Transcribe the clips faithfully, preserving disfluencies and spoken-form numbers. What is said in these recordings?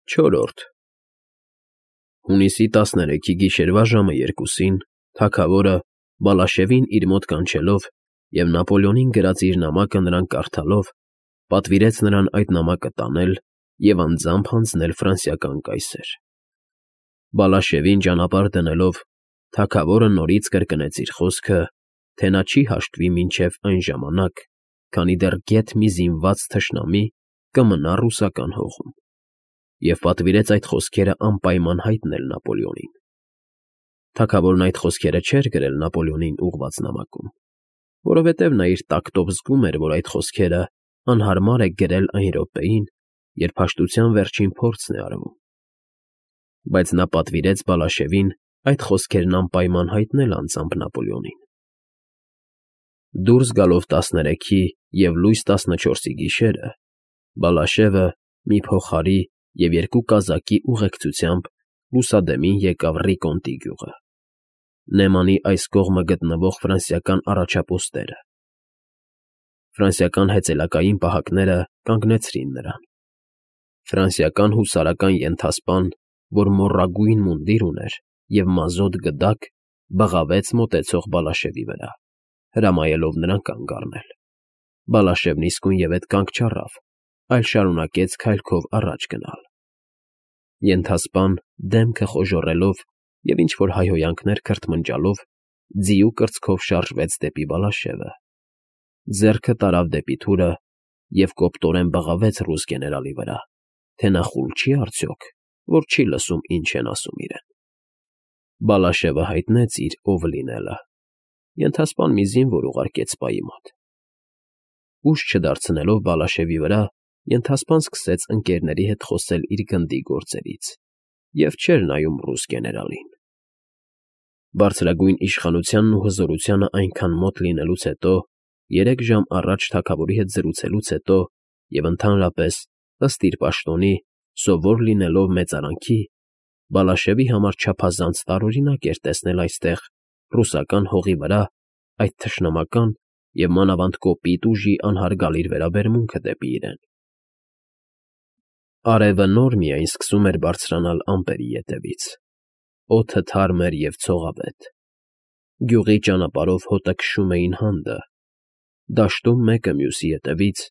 Չորրորդ Հունիսի տասներեքի գիշերվա ժամը երկուսին թագավորը, Բալաշևին իր մոտ կանչելով և Նապոլեոնին գրած իր նամակը նրան կարդալով, պատվիրեց նրան այդ նամակը տանել և անձամբ հանձնել ֆրանսիական կայսեր։ Բալաշևին ճանապարհ դնելով, թագավորը նորից կրկնեց իր խոսքը, թե նա չի հաշտվի մինչև այն ժամանակ, քանի դեռ գեթ մի զինված թշնամի կմնա ռուսական հողում, և պատվիրեց այդ խոսքերը անպայման հայտնել Նապոլեոնին։ Թագավորն այդ խոսքերը չէր գրել Նապոլեոնին ուղղված նամակում, որովհետև նա իր տակտով զգում էր, որ այդ խոսքերը անհարմար է գրել այն րոպեին, երբ հաշտության վերջին փորձն է արվում, բայց նա պատվիրեց Բալաշևին այդ խոսքերն անպայման հայտնել անձամբ Նապոլեոնին։ Դուրս գալով տասներեքի և լույս տասնչորսի գիշերը, Բալաշևը մի փողահարի և երկու կազակի ուղեկցությամբ լուսադեմին եկավ Ռիկոնտի գյուղը, Նեմանի այս կողմը գտնվող ֆրանսիական առաջապոստերը։ Ֆրանսիական հեծելակային պահակները կանգնեցրին նրան։ Ֆրանսիական հուսարական ենթասպան, որ մոռագույն մունդիր ուներ և մազոտ գդակ, բղավեց մոտեցող Բալաշևի վրա, հրամայելով նրան կանգ առնել։ Բալաշևն իսկույնևեթ կանգ չառավ, այլ շարունակեց քայլքով առաջ գնալ։ Ենթասպան, դեմքը խոժոռելով և ինչ֊որ հայհոյանքներ քրթմնջալով, ձիու կրծքով շարժվեց դեպի Բալաշևը, ձեռքը տարավ դեպի թուրը և կոպտորեն բղավեց ռուս գեներալի վրա, թե նա խուլ չի՞ արդյոք, որ չի լսում, ինչ են ասում իրեն։ Բալաշևը հայտնեց իր ով լինելը, ենթասպան մի զինվոր ուղարկեց սպայի մոտ։ Ուժ չդարձնելով Բալաշևի վրա, ենթասպան սկսեց ընկերների հետ խոսել իր գնդի գործերից և չէր նայում ռուս գեներալին։ Բարձրագույն իշխանությանն ու հզորությանը այնքան մոտ լինելուց հետո, երեք ժամ առաջ թագավորի հետ զրուցելուց հետո և ընդհանրապես, ըստ իր պաշտոնի, սովոր լինելով մեծարանքի, Բալաշևի համար չափազանց տարօրինակ էր տեսնել այստեղ, ռուսական հողի վրա, այդ թշնամական և մանավանդ կոպիտ ուժի անհարգալիր վերաբերմունքը դեպի իրեն։ Արևը նոր միայն սկսում էր բարձրանալ ամպերի ետևից, օդը թարմ էր և ցողավետ, գյուղի ճանապարհով հոտը քշում էին հանդը, դաշտում մեկը մյուսի ետևից,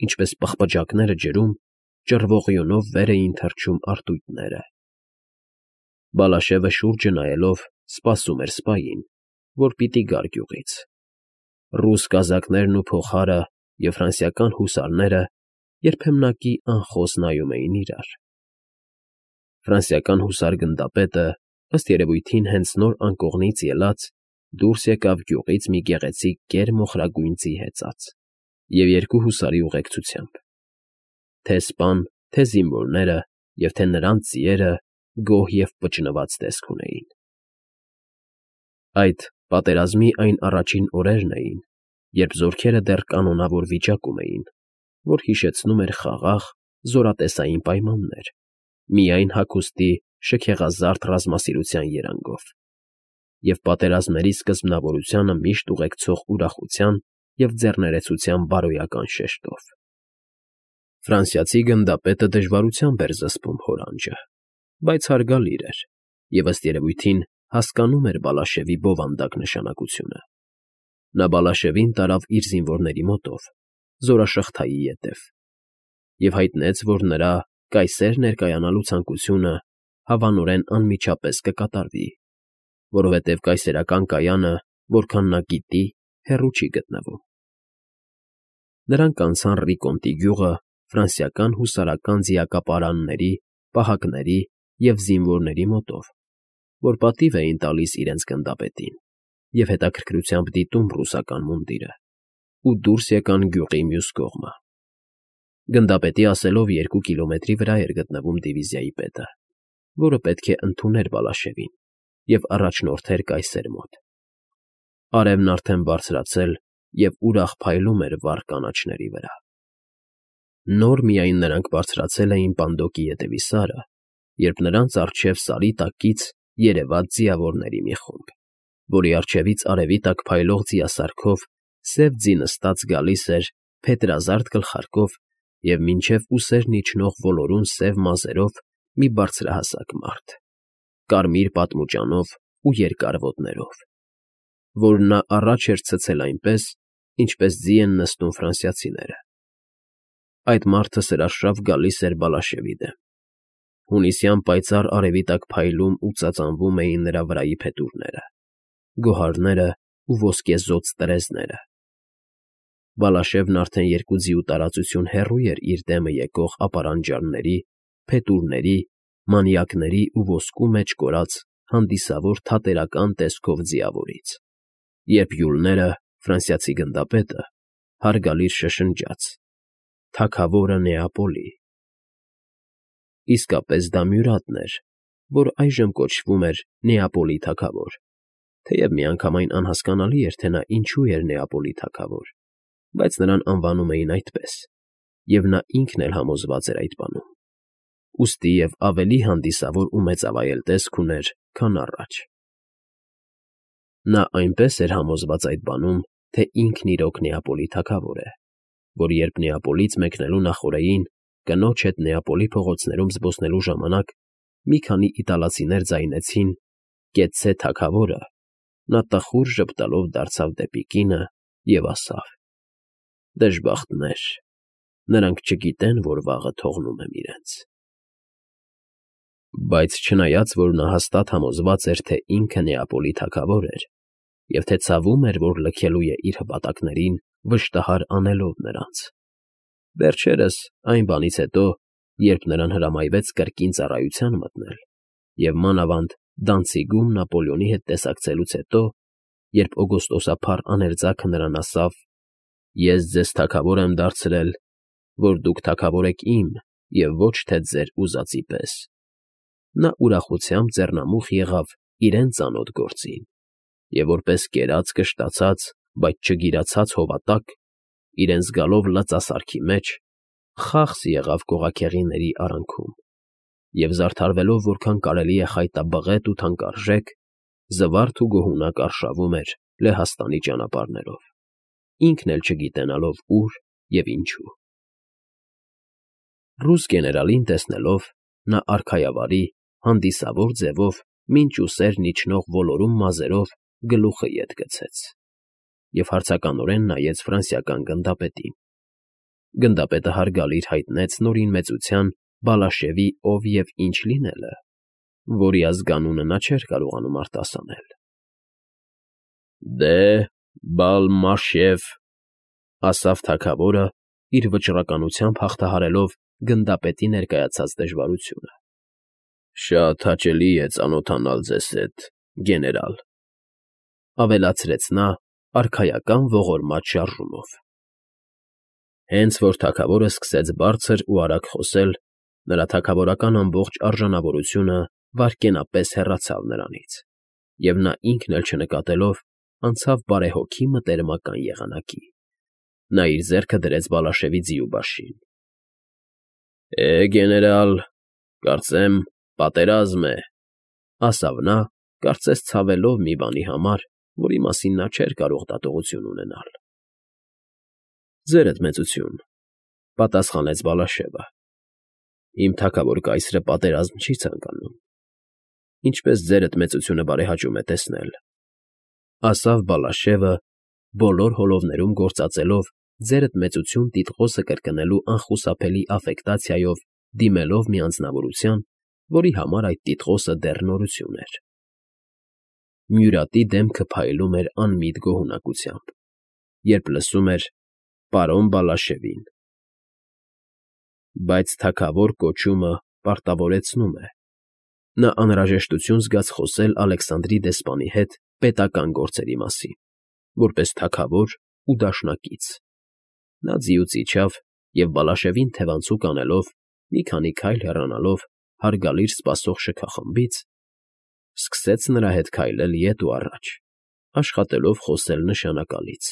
ինչպես պղպջակները ջրում, ճռվողյունով վեր էին թռչում արծույթները։ Բալաշևը շուրջը նայելով սպասում էր սպային, որ պիտի գար գյուղից։ Ռուս կազակներն ու փողահարը և ֆրանսիական հուսարները երբեմնակի անխոս նայում էին իրար։ Ֆրանսիական հուսար֊գնդապետը, ըստ երևույթին հենց նոր անկողնից ելած, դուրս եկավ գյուղից մի գեղեցիկ կեր մոխրագույն ձի հեծած և երկու հուսարի ուղեկցությամբ։ Թե՛ սպան, թե՛ զինվորները և թե՛ նրանց ձիերը գոհ և պճնված տեսք ունեին։ Այդ, պատերազմի այն առաջին օրերն էին, երբ զորքերը դեռ կանոնավոր վիճակում էին, որ հիշեցնում էր խաղաղ, զորատեսային պայմաններ, միայն հագուստի շքեղազարդ ռազմասիրության երանգով և պատերազմների սկզբնավորությանը միշտ ուղեկցող ուրախության և ձեռներեցության բարոյական շեշտով։ Ֆրանսիացի գնդապետը դժվարությամբ էր զսպում հոր անջը, բայց հարգալիր էր և, ըստ երևույթին, հասկանում էր Բալաշևի բովանդակ նշանակությունը։ Նա Բալաշևին տարավ իր զինվորների մոտով, զորաշղթայի ետև, և հայտնեց, որ նրա կայսեր ներկայանալու ցանկությունը հավանորեն անմիջապես կկատարվի, որովհետև կայսերական կայանը, որքան նա գիտի, հեռու չի գտնվում։ Նրանք անցան Ռիկոնտի գյուղը ֆրանսիական հուսարական ձիակապարանների, պահակների և զինվորների մոտով, որ պատիվ էին տալիս իրենց գնդապետին և հետաքրքրությամբ դիտում ռուսական մունդիրը, ու դուրս եկան գյուղի մյուս կողմը։ Գնդապետի ասելով երկու կիլոմետրի վրա էր գտնվում դիվիզիայի պետը, որը պետք է ընդուներ Բալաշևին և առաջնորդեր կայսեր մոտ։ Արևն արդեն բարձրացել և ուրախ փայլում էր վառ կանաչների վրա։ Նոր միայն նրանք բարձրացել էին Պանդոկի ետևի սարը, երբ նրանց առջև սարի տակից երևաց ձիավորների մի խումբ, որի առջևից արևի տակ փայլող ձիասարքով սև ձի նստած գալիս էր փետրազարդ գլխարկով և մինչև ուսերն իջնող ոլորուն սև մազերով մի բարձրահասակ մարդ, կարմիր պատմուճանով ու երկար ոտներով, որ նա առաջ էր ցցել այնպես, ինչպես ձի են նստում ֆրանսիացիները. այդ մարդը սրաշավ գալիս էր Բալաշևի դեմ, հունիսյան պայծառ արևի տակ փայլում ու ծածանվում էին նրա վրայի փետուրները, գոհարները ու ոսկեզօծ տրեզները. Բալաշևն արդեն երկու ձիու տարածություն հեռու էր իր դեմը եկող ապարանջանների, փետուրների, մանյակների ու ոսկու մեջ կորած հանդիսավոր թատերական տեսքով ձիավորից, երբ յուլները, ֆրանսիացի գնդապետը, հարգալից շշնջաց. «Թագավորը Նեապոլի»։ Իսկապես դա Մյուրատն էր, որ այժմ կոչվում էր Նեապոլի թագավոր, թեև միանգամայն անհասկանալի էր, թե նա ինչու էր Նեապոլի թագավոր, բայց նրան անվանում էին այդպես, և նա ինքն էլ համոզված էր այդ բանում, ուստի և ավելի հանդիսավոր ու մեծավայել տեսք ուներ, քան առաջ. նա այնպես էր համոզված այդ բանում, թե ինքն իրոք Նեապոլի թագավոր է, որ երբ Նեապոլից մեկնելու նախօրեին կնոջ հետ Նեապոլի փողոցներում զբոսնելու ժամանակ մի քանի իտալացիներ ձայնեցին «Կեցցե թագավորը», նա տխուր ժպտալով դարձավ դեպի կինը և ասավ. «Դժբախտներ, նրանք չգիտեն, որ վաղը թողնում եմ իրենց»։ Բայց չնայած որ նա հաստատ համոզված էր, թե ինքը Նեապոլի թագավոր էր, և թե ցավում էր, որ լքելու է իր հպատակներին, վշտահար անելով նրանց, վերջերս այն բանից հետո, երբ նրան հրամայվեց կրկին ծառայության մտնել, և մանավանդ Դանցիգում Նապոլեոնի հետ տեսակցելուց հետո, երբ օգոստոսափառ աներձակը նրան ասավ. «Ես ձեզ թագավոր եմ դարձրել, որ դուք թագավոր եք իմ և ոչ թե ձեր ուզածի պես», նա ուրախությամբ ձեռնամուխ եղավ իրեն ծանոթ գործին և որպես կերած կշտացած, բայց չգիրացած հովատակ, իրեն զգալով լծասարքի մեջ, խախս եղավ կողակեղիների արանքում և, զարդարվելով որքան կարելի է խայտաբղետ ու թանկարժեք, զվարթ ու գոհունակ արշավում էր Լեհաստանի ճանապարհներով, ինքն էլ չգիտենալով ուր և ինչու։ Ռուս գեներալին տեսնելով, նա արքայավարի, հանդիսավոր ձևով մինչ ուսերն իջնող ոլորուն մազերով գլուխը ետ գցեց և հարցականորեն նայեց ֆրանսիական գնդապետին։ Գնդապետը հարգալից հայտնեց նորին մեծության Բալաշևի ով և ինչ լինելը, որի ազգանունը նա չէր կարողանում արտասանել։ «Դե, Բալ֊Մաշև», ասավ թագավորը, իր վճռականությամբ հաղթահարելով գնդապետի ներկայացած դժվարությունը, «շատ հաճելի է ծանոթանալ ձեզ հետ, գեներալ», ավելացրեց նա արքայական ողորմած շարժումով։ Հենց որ թագավորը սկսեց բարձր ու արագ խոսել, նրա թագավորական ամբողջ արժանավորությունը վայրկենապես հեռացավ նրանից, և նա ինքն էլ չնկատելով, անցավ բարեհոգի մտերմական եղանակի։ Նա իր ձեռքը դրեց Բալաշևի ձիու բաշին։ «Է, գեներալ, կարծեմ պատերազմ է», ասավ նա, կարծես ցավելով մի բանի համար, որի մասին նա չէր կարող դատողություն ունենալ։ «Ձերդ մեծություն», պատասխանեց Բալաշևը, «իմ թագավոր կայսրը պատերազմ չի ցանկանում, ինչպես ձերդ մեծությունը բարեհաճում է տեսնել», ասավ Բալաշևը, բոլոր հոլովներում գործածելով ձերդ մեծություն տիտղոսը կրկնելու անխուսափելի աֆեկտացիայով դիմելով մի անձնավորության, որի համար այդ տիտղոսը դեռ նորություն էր։ Մյուրատի դեմքը փայլում էր անմիտ գոհունակությամբ, երբ լսում էր «պարոն Բալաշևին», բայց թագավոր կոչումը պարտավորեցնում է։ Նա անհրաժեշտություն զգաց խոսել Ալեքսանդրի դեսպանի հետ պետական գործերի մասին, որպես թագավոր ու դաշնակից։ Նա ձիուց իջավ և Բալաշևին թևանցուկ անելով, մի քանի քայլ հեռանալով հարգալից սպասող շքախմբից, սկսեց նրա հետ քայլել ետ ու առաջ, աշխատելով խոսել նշանակալից։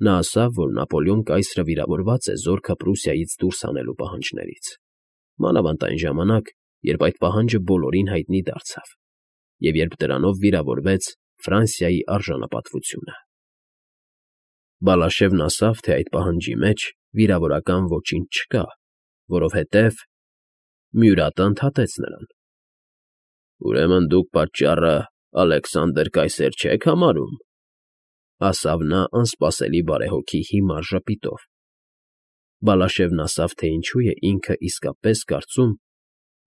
Նա ասավ, որ Նապոլեոն կայսրը վիրավորված է զորքը Պրուսիայից դուրս հանելու պահանջներից, մանավանդ այն ժամանակ, երբ այդ պահանջը բոլորին հայտնի դարձավ, և երբ դրանով վիրավորվեց Ֆրանսիայի արժանապատվությունը։ Բալաշևն ասավ, թե այդ պահանջի մեջ վիրավորական ոչինչ չկա, որովհետև Մյուրատը ընդհատեց նրան։ ֊ Ուրեմն դուք պատճառը Ալեքսանդր կայսեր չեք համարում,֊ ասավ նա անսպասելի բարեհոգի հիմար ժպիտով. Բալաշևն ասավ, թե ինչու է ինքը իսկապես կարծում,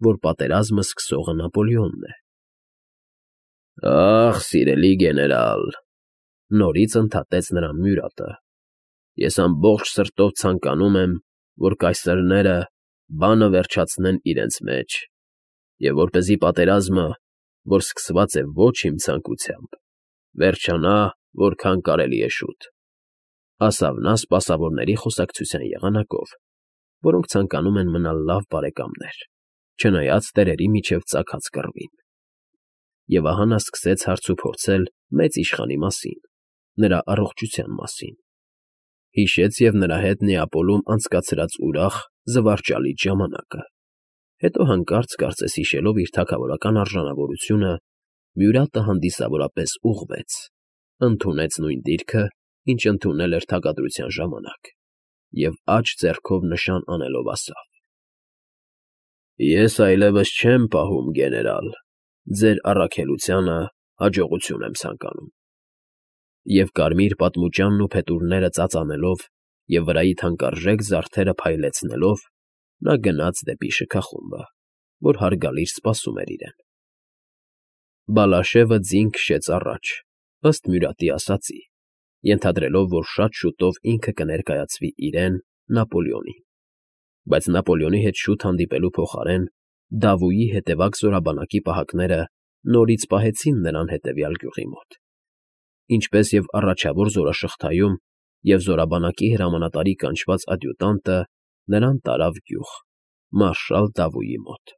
որ պատերազմը սկսողը Նապոլեոնն է։ ֊ Ախ, սիրելի գեներալ,֊ նորից ընդհատեց նրան մյուրատը,֊ ես ամբողջ սրտով ցանկանում եմ, որ կայսրները բանը վերջացնեն իրենց մեջ, և որպեսզի պատերազմը, որ սկսված է ոչ իմ ցանկությամբ, վերջանա որքան կարելի է շուտ,֊ ասավ նա սպասավորների խոսակցության եղանակով, որոնք ցանկանում են մնալ լավ բարեկամներ, չնայած տերերի միջև ծագած կռվին։ Եվ ահա նա սկսեց հարցուփորձել մեծ իշխանի մասին, նրա առողջության մասին, հիշեց և նրա հետ Նեապոլում անցկացրած ուրախ, զվարճալից ժամանակը, հետո հանկարծ կարծես հիշելով իր թագավորական արժանավորությունը, մյուրատը հանդիսավորապես ուղղվեց, ընդունեց նույն դիրքը, ինչ ընդունել էր թագադրության ժամանակ, և աջ ձեռքով նշան անելով ասավ. «Ես այլևս չեմ պահում, գեներալ, ձեր առաքելությանը հաջողություն եմ ցանկանում»։ Եվ կարմիր պատմուճանն ու փետուրները ծածանելով և վրայի թանկարժեք զարդերը փայլեցնելով, նա գնաց դեպի շքախումբը, որ հարգալից սպասում էր իրեն։ Բալաշևը ձին քշեց առաջ, ըստ մյուրատի ասածի, ենթադրելով, որ շատ շուտով ինքը կներկայացվի իրեն՝ Նապոլեոնին, բայց Նապոլեոնի հետ շուտ հանդիպելու փոխարեն Դավոյի հետևակ զորաբանակի պահակները նորից պահեցին նրան հետևյալ գյուղի մոտ, ինչպես և առաջավոր զորաշղթայում, և զորաբանակի հրամանատարի կանչված ադյուտանտը նրան տարավ գյուղ՝ մարշալ Դավոյի մոտ։